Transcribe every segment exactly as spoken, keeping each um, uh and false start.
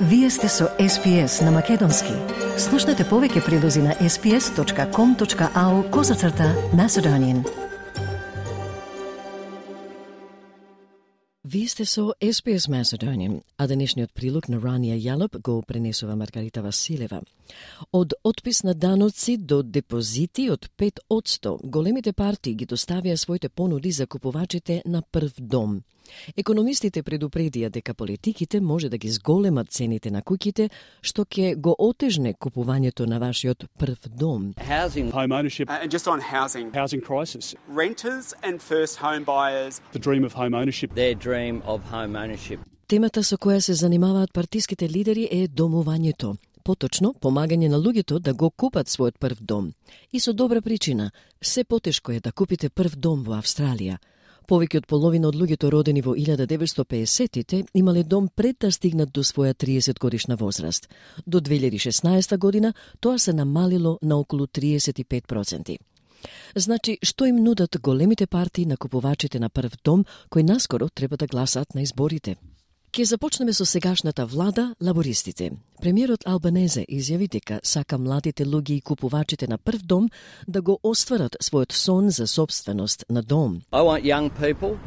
Вие сте со Ес Пи Ес на Македонски. Слушнете повеќе прилози на ес пи ес точка ком точка ау козацрта Macedonian. Вие сте со Ес Пи Ес Macedonian, а денешниот прилог на Рания Јалоп го пренесува Маргарита Василева. Од отпис на даноци до депозити од пет одсто, големите партии ги доставија своите понуди за купувачите на прв дом. Економистите предупредија дека политиките може да ги зголемат цените на куќите, што ќе го отежне купувањето на вашиот прв дом. Housing, home ownership, uh, and just on housing, housing crisis, renters and first home buyers, the dream of home ownership, their dream of home ownership. Темата со која се занимаваат партиските лидери е домувањето. Поточно, помагање на луѓето да го купат својот прв дом. И со добра причина, се потешко е да купите прв дом во Австралија. Повеќе од половина од луѓето родени во илјада деветстотини и педесеттите имале дом пред да стигнат до своја триесет годишна возраст. До две илјади и шеснаесета година тоа се намалило на околу триесет и пет проценти. Значи, што им нудат големите партии на купувачите на прв дом, кои наскоро треба да гласаат на изборите? Ке започнеме со сегашната влада, лабористите. Премиерот Албанезе изјави дека сака младите луѓе и купувачите на прв дом да го остварат својот сон за собственост на дом. I want young people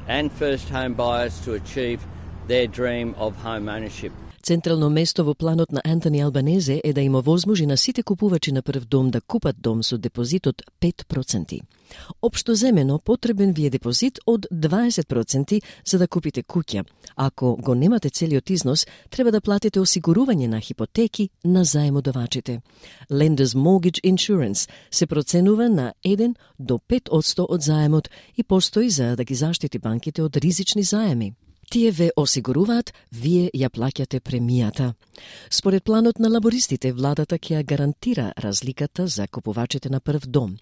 and first home buyers to achieve their dream of home ownership. Централно место во планот на Антони Албанезе е да има возможи на сите купувачи на прв дом да купат дом со депозит од пет проценти. Општо земено, потребен ви е депозит од дваесет проценти за да купите куќа. Ако го немате целиот износ, треба да платите осигурување на хипотеки на заемодавачите. Lenders Mortgage Insurance се проценува на еден до пет одсто од заемот и постои за да ги заштити банките од ризични заеми. Тие ве осигуруваат, вие ја плаќате премијата. Според планот на лабористите, владата ќе ја гарантира разликата за купувачите на прв дом.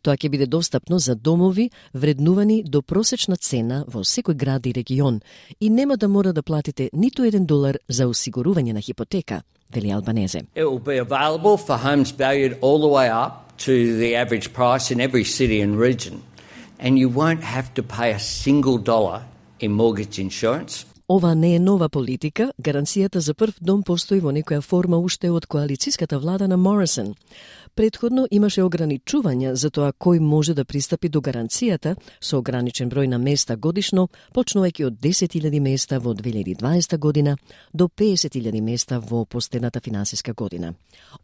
Тоа ќе биде достапно за домови вреднувани до просечна цена во секој град и регион и нема да мора да платите ниту еден долар за осигурување на хипотека, вели Албанезе. It will be available for homes valued all the way up to the average price in every city and region, and you won't have to pay a single dollar in mortgage insurance. Ова не е нова политика, гаранцијата за прв дом постои во некоја форма уште од коалицијската влада на Морисон. Предходно имаше ограничувања за тоа кој може да пристапи до гаранцијата со ограничен број на места годишно, почнувајќи од десет илјади места во две илјади и дваесета година до педесет илјади места во последната финансиска година.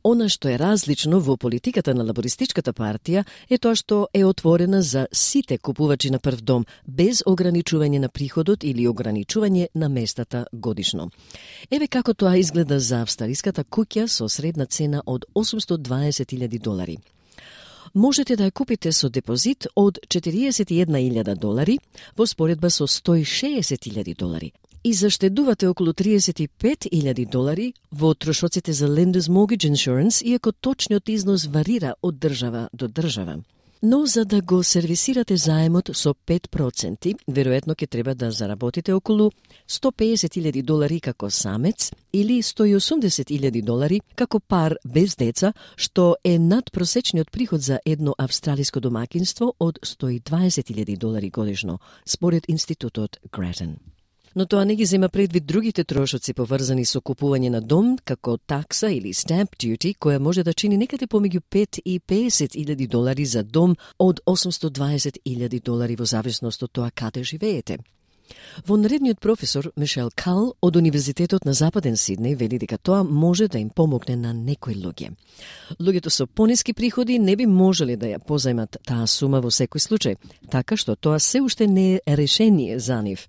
Она што е различно во политиката на лабористичката партија е тоа што е отворена за сите купувачи на прв дом, без ограничување на приходот или ограничување на местата годишно. Еве како тоа изгледа за австралиската куќа со средна цена од осумстотини и дваесет илјади долари. Можете да ја купите со депозит од четириесет и една илјада долари во споредба со сто и шеесет илјади долари и заштедувате околу триесет и пет илјади долари во трошоците за Lenders Mortgage Insurance, иако точниот износ варира од држава до држава. Но за да го сервисирате заемот со пет проценти, веројатно ќе треба да заработите околу сто и педесет илјади долари како самец или сто и осумдесет илјади долари како пар без деца, што е надпросечниот приход за едно австралиско домакинство од сто и дваесет илјади долари годишно, според институтот Grattan. Но тоа не ги зема предвид другите трошоци поврзани со купување на дом, како такса или stamp duty, која може да чини некаде помеѓу пет и педесет илјади долари за дом од осумстотини и дваесет илјади долари во зависност од тоа каде живеете. Вонредниот професор Мишел Кал од Универзитетот на Западен Сиднеј вели дека тоа може да им помогне на некои луѓе. Луѓето со пониски приходи не би можеле да ја позајмат таа сума во секој случај, така што тоа се уште не е решение за нив.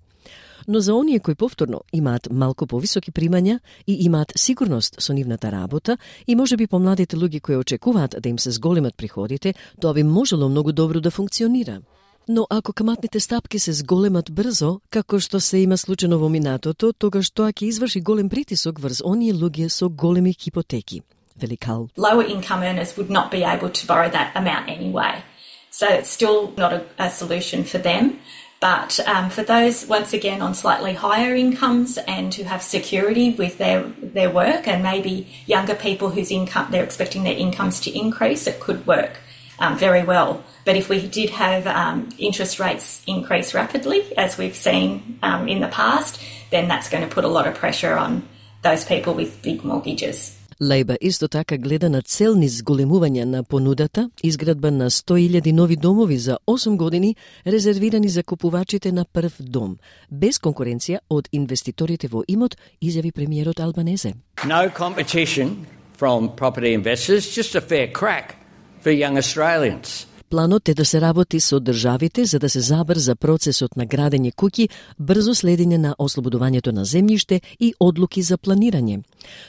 Но за оние кои повторно имаат малку повисоки примања и имаат сигурност со нивната работа и можеби помладите луѓе кои очекуваат да им се зголемат приходите, тоа би можело многу добро да функционира. Но ако каматните стапки се зголемат брзо, како што се има случајно во минатото, тогаш тоа ќе изврши голем притисок врз оние луѓе со големи хипотеки. Вели Кал. Lower income earners would not be able to borrow that amount anyway. So it's still not a, a solution for them. But um, for those, once again, on slightly higher incomes and who have security with their, their work, and maybe younger people whose income, they're expecting their incomes to increase, it could work um, very well. But if we did have um, interest rates increase rapidly, as we've seen um, in the past, then that's going to put a lot of pressure on those people with big mortgages. Лейба исто така гледа на цел низ зголемување на понудата, изградба на сто илјади нови домови за осум години, резервирани за купувачите на прв дом, без конкуренција од инвеститорите во имот, изјави премиерот Албанезе. No competition from property investors, just a fair crack for young Australians. Планот е да се работи со државите за да се забрза процесот на градење куќи, брзо следење на ослободувањето на земјиште и одлуки за планирање.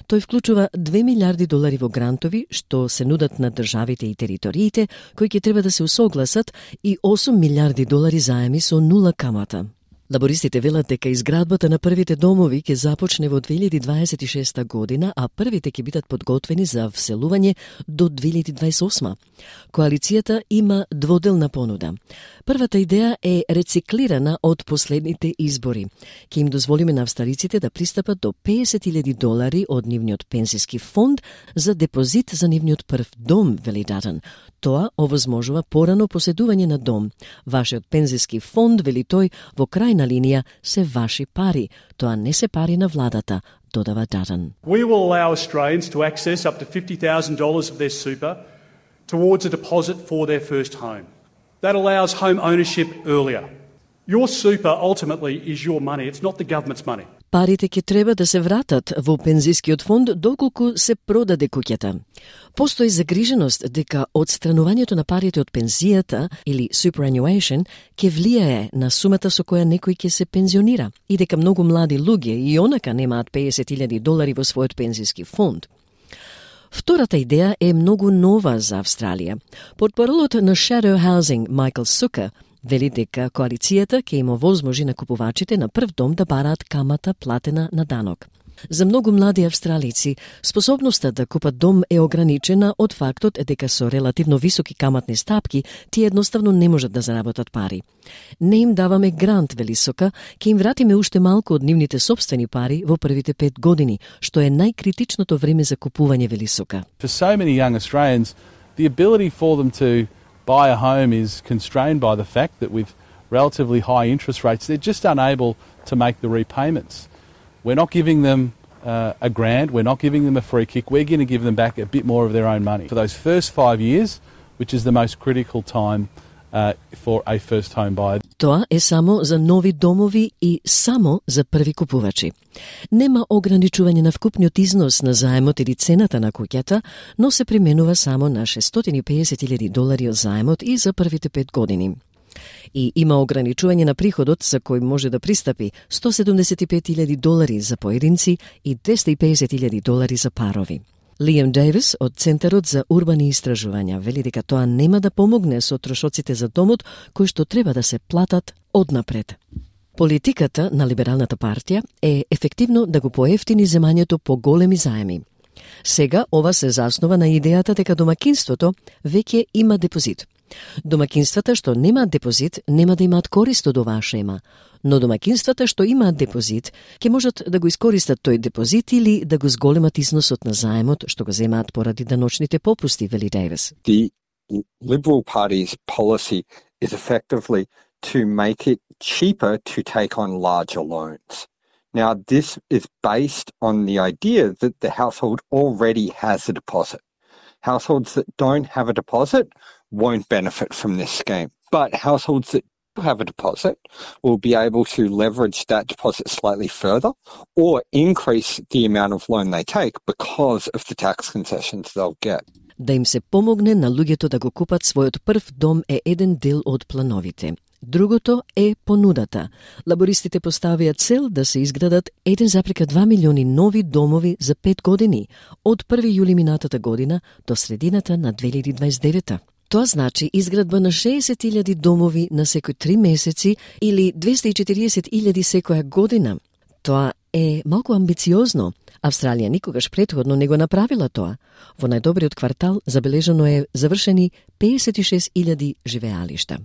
Тој вклучува две милиарди долари во грантови, што се нудат на државите и териториите, кои ќе треба да се усогласат, и осум милиарди долари заеми со нула камата. Лабористите велат дека изградбата на првите домови ќе започне во две илјади дваесет и шеста година, а првите ќе бидат подготвени за вселување до две илјади дваесет и осма. Коалицијата има дводелна понуда. Првата идеја е рециклирана од последните избори. Ќе им дозволиме на австралиците да пристапат до песет илјади долари од нивниот пензиски фонд за депозит за нивниот прв дом, вели Датон. Тоа овозможува порано поседување на дом. Вашиот пензиски фонд, вели тој, во крајна линија се ваши пари. Тоа не се пари на владата, додава Датон. We will allow Australians to access up to fifty thousand dollars of their super towards a deposit for their first home. That allows home ownership earlier. Your super ultimately is your money, it's not the government's money. Парите ќе треба да се вратат во пензискиот фонд доколку се продаде куќата. Постои загриженост дека одстранувањето на парите од пензијата или superannuation ќе влијае на сумата со која некој ќе се пензионира и дека многу млади луѓе и онака немаат песет илјади долари во својот пензиски фонд. Втората идеја е многу нова за Австралија. Портпаролот на Shadow Housing Майкл Сука вели дека коалицијата ќе им овозможи на купувачите на прв дом да бараат камата платена на данок. За многу млади австралици, способноста да купат дом е ограничена од фактот дека со релативно високи каматни стапки тие едноставно не можат да заработат пари. Не им даваме грант, вели Сука, ќе им вратиме уште малку од нивните собствени пари во првите пет години, што е најкритичното време за купување, вели Сука. For so many young Australians, the ability for them to buy a home is constrained by the fact that with relatively high interest rates, they're just unable to make the repayments. We're not giving them uh, a grant, we're not giving them a free kick, we're going to give them back a bit more of their own money. For those first five years, which is the most critical time uh, for a first home buyer. Тоа е само за нови домови и само за први купувачи. Нема ограничување на вкупниот износ на заемот или цената на куќата, но се применува само на шестстотини и педесет илјади долари од заемот и за првите пет години. И има ограничување на приходот за кој може да пристапи сто седумдесет и пет илјади долари за поединци и двесте и педесет илјади долари за парови. Лиам Дейвис од Центарот за урбани истражувања вели дека тоа нема да помогне со трошоците за домот кои што треба да се платат однапред. Политиката на Либералната партија е ефективно да го поевтини земањето по големи заеми. Сега ова се заснова на идејата дека домакинството веќе има депозит. Домакинствата што немаат депозит нема да имаат корист од оваа шема, но домакинствата што имаат депозит ќе можат да го искористат тој депозит или да го зголемат износот на заемот што го земаат поради даночните попусти, вели Дейвис. The Liberal Party's policy is effectively to make it cheaper to take on larger loans. Now, this is based on the idea that the household already has a deposit. Households that don't have a deposit won't benefit from this scheme. But households that do have a deposit will be able to leverage that deposit slightly further or increase the amount of loan they take because of the tax concessions they'll get. Да им се помогне на луѓето да го купат својот прв дом е еден дел од плановите. Другото е понудата. Лабористите поставија цел да се изградат еден запрека два милиони нови домови за пет години, од први јули минатата година до средината на две илјади дваесет и девета. Тоа значи изградба на шеесет илјади домови на секои три месеци или двесте и четириесет илјади секоја година. Тоа е малку амбициозно. Австралија никогаш претходно не го направила тоа. Во најдобриот квартал забележано е завршени педесет и шест илјади живеалишта.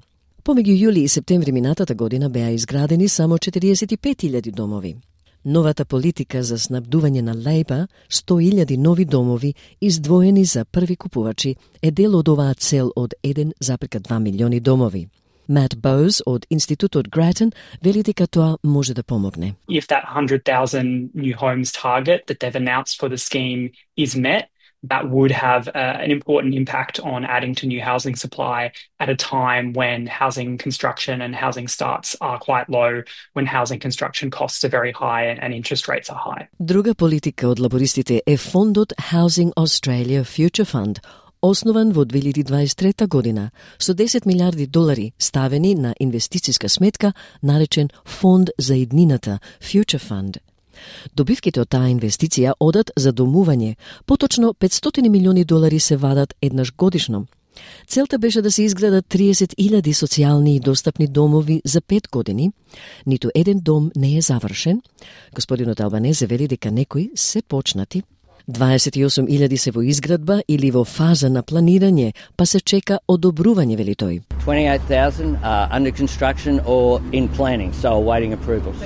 Помеѓу јули и септември минатата година беа изградени само четириесет и пет илјади домови. Новата политика за снабдување на Лейба, сто илјади нови домови, издвоени за први купувачи, е дел од оваа цел од еден запрека два милиони домови. Matt Bowes од Институтот Grattan вели дека тоа може да помогне. If that one hundred thousand new homes target that they've announced for the scheme is met, that would have uh, an important impact on adding to new housing supply at a time when housing construction and housing starts are quite low, when housing construction costs are very high and, and interest rates are high. Друга политика од лабористите е фондот Housing Australia Future Fund, основан во две илјади дваесет и трета година, со десет милиарди долари ставени на инвестициска сметка, наречен Фонд за иднината, Future Fund. Добивките од таа инвестиција одат за домување, поточно петстотини милиони долари се вадат еднаш годишно. Целта беше да се изградат триесет илјади социјални и достапни домови за пет години. Ниту еден дом не е завршен. Господинот Албанезе вели дека некои се почнати. дваесет и осум илјади се во изградба или во фаза на планирање, па се чека одобрување, вели тој. twenty-eight thousand are under construction or in planning, so awaiting approvals.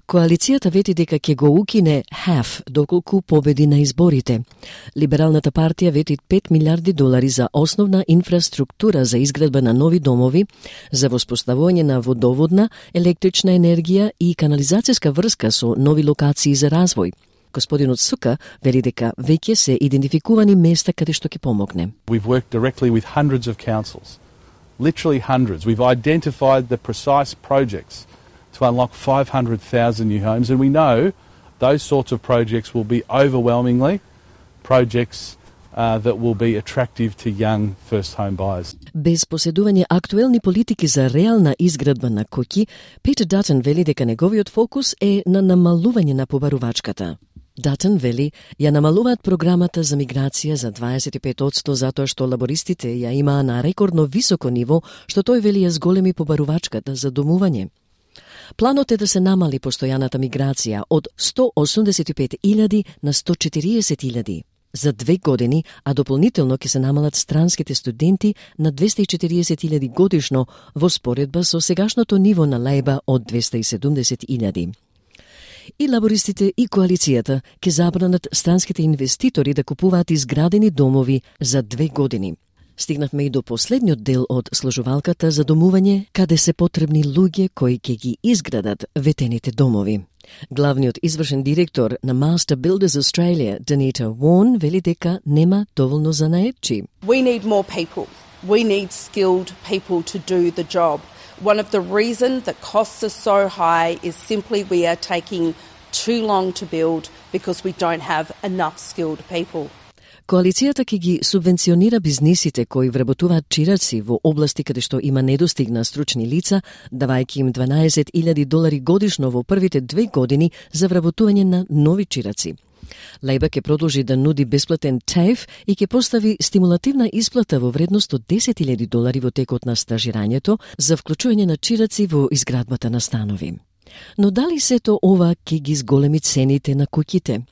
Коалицијата вети дека ќе го укине хаф доколку победи на изборите. Либералната партија вети пет милиарди долари за основна инфраструктура за изградба на нови домови, за воспоставување на водоводна, електрична енергија и канализацијска врска со нови локации за развој. Господинот Сука вели дека веќе се идентификувани места каде што ќе помогне. We've worked directly with hundreds of councils, literally hundreds. We've identified the precise projects to unlock five hundred thousand new homes, and we know those sorts of projects will be overwhelmingly projects uh, that will be attractive to young first home buyers. Без поседување актуелни политики за реална изградба на куќи, Питер Датън вели дека неговиот фокус е на намалување на побарувачката. Датън вели, ја намалуваат програмата за миграција за дваесет и пет одсто затоа што лабористите ја имаа на рекордно високо ниво, што тој вели ја зголеми побарувачката за домување. Планот е да се намали постојаната миграција од сто осумдесет и пет илјади на сто четириесет илјади за две години, а дополнително ќе се намалат странските студенти на двесте и четириесет илјади годишно во споредба со сегашното ниво на Лејба од двесте и седумдесет илјади. И лабористите и коалицијата ќе забранат странските инвеститори да купуваат изградени домови за две години. Стигнавме и до последниот дел од сложувалката за домување, каде се потребни луѓе кои ќе ги изградат ветените домови. Главниот извршен директор на Master Builders Australia, Danita Warren, вели дека нема доволно занаетчи. We need more people. We need skilled people to do the job. One of the reasons that costs are so high is simply we are taking too long to build because we don't have enough skilled people. Коалицијата ќе ги субвенционира бизнисите кои вработуваат чираци во области каде што има недостиг на стручни лица, давајќи им дванаесет илјади долари годишно во првите две години за вработување на нови чираци. Лејба ќе продолжи да нуди бесплатен ТАФЕ и ќе постави стимулативна исплата во вредност од десет илјади долари во текот на стажирањето за вклучување на чираци во изградбата на станови. Но дали сето ова ќе ги зголеми цените на куќите?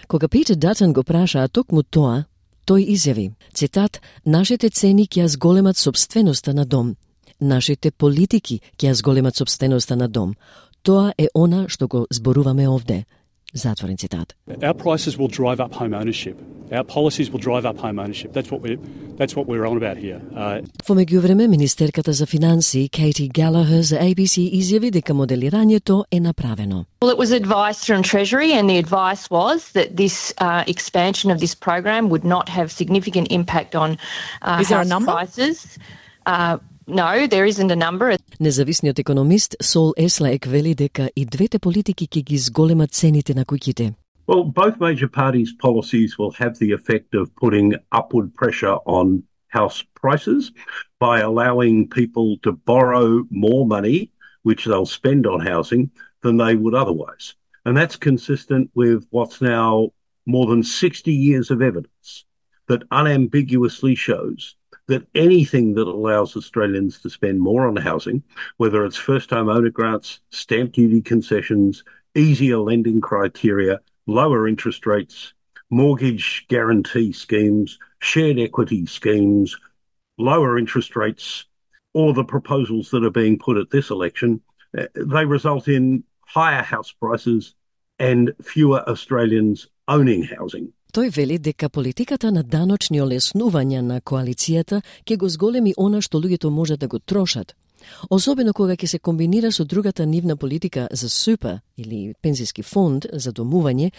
Кога Питер Датън го прашаа токму тоа, тој изјави, цитат, нашите цени ќе ја зголемат собственоста на дом. Нашите политики ќе ја зголемат собственоста на дом. Тоа е она што го зборуваме овде. Затворен цитат. Our prices will drive up home ownership. Our policies will drive up home ownership. That's what we're, that's what we're on about here. Uh... Во меѓувреме, министерката за финанси Katie Gallagher за A B C изјави дека моделирањето е направено. Well, it was advice from Treasury, and the advice was that this uh, expansion of this program would not have significant impact on uh, Is there a house number? prices. Uh, No, there isn't a number. Независниот економист Сол Еслек вели дека и двете политики ќе ги зголемат цените на куќите. Well, both major parties' policies will have the effect of putting upward pressure on house prices by allowing people to borrow more money, which they'll spend on housing, than they would otherwise. And that's consistent with what's now more than sixty years of evidence that unambiguously shows that anything that allows Australians to spend more on housing, whether it's first-home owner grants, stamp duty concessions, easier lending criteria, lower interest rates, mortgage guarantee schemes, shared equity schemes, lower interest rates, or the proposals that are being put at this election, they result in higher house prices and fewer Australians owning housing. Тој вели дека политиката на даночни олеснувања на коалицијата ќе го зголеми она што луѓето можат да го трошат. особено кога ќе се комбинира со другата нивна политика за супер или пензиски фонд за домување,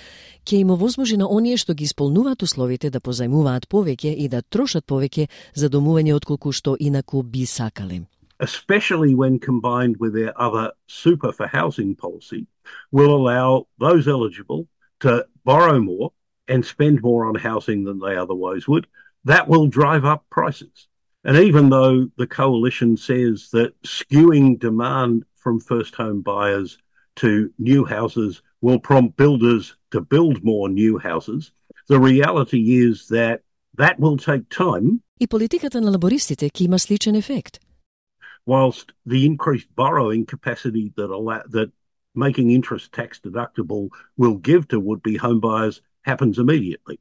ќе им овозможи на оние што ги исполнуваат условите да позајмуваат повеќе и да трошат повеќе за домување отколку што инаку би сакале. Especially when combined with their other super for housing policy, will allow those eligible to borrow more and spend more on housing than they otherwise would. That will drive up prices. And even though the coalition says that skewing demand from first home buyers to new houses will prompt builders to build more new houses, the reality is that that will take time. И политиката на лабористите ќе има сличен ефект. Whilst the increased borrowing capacity that allow, that making interest tax deductible will give to would-be homebuyers happens immediately.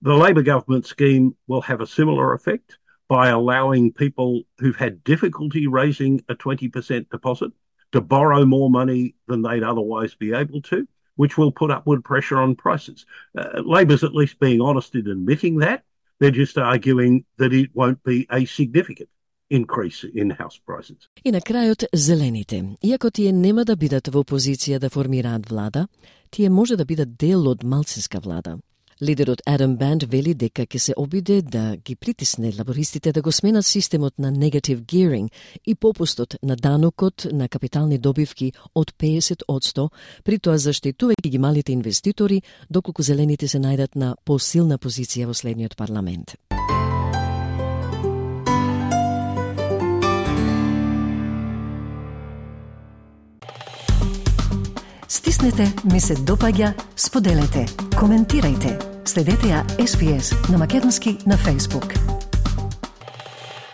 The Labor government scheme will have a similar effect by allowing people who've had difficulty raising a twenty percent deposit to borrow more money than they'd otherwise be able to, which will put upward pressure on prices. Uh, Labor's at least being honest in admitting that. They're just arguing that it won't be a significant increase in house prices. И на крајот зелените. Иако тие нема да бидат во опозиција да формираат влада, тие може да бидат дел од малцинска влада. Лидерот Адам Банд вели дека ќе се обиде да ги притисне лабористите да го сменат системот на negative gearing и попустот на данокот на капитални добивки од песет одсто, при тоа заштитувајќи ги малите инвеститори, доколку зелените се најдат на посилна позиција во следниот парламент. Стиснете, ми се допаѓа, споделете, коментирајте. Следете ја Ес Би Ес на македонски на Facebook.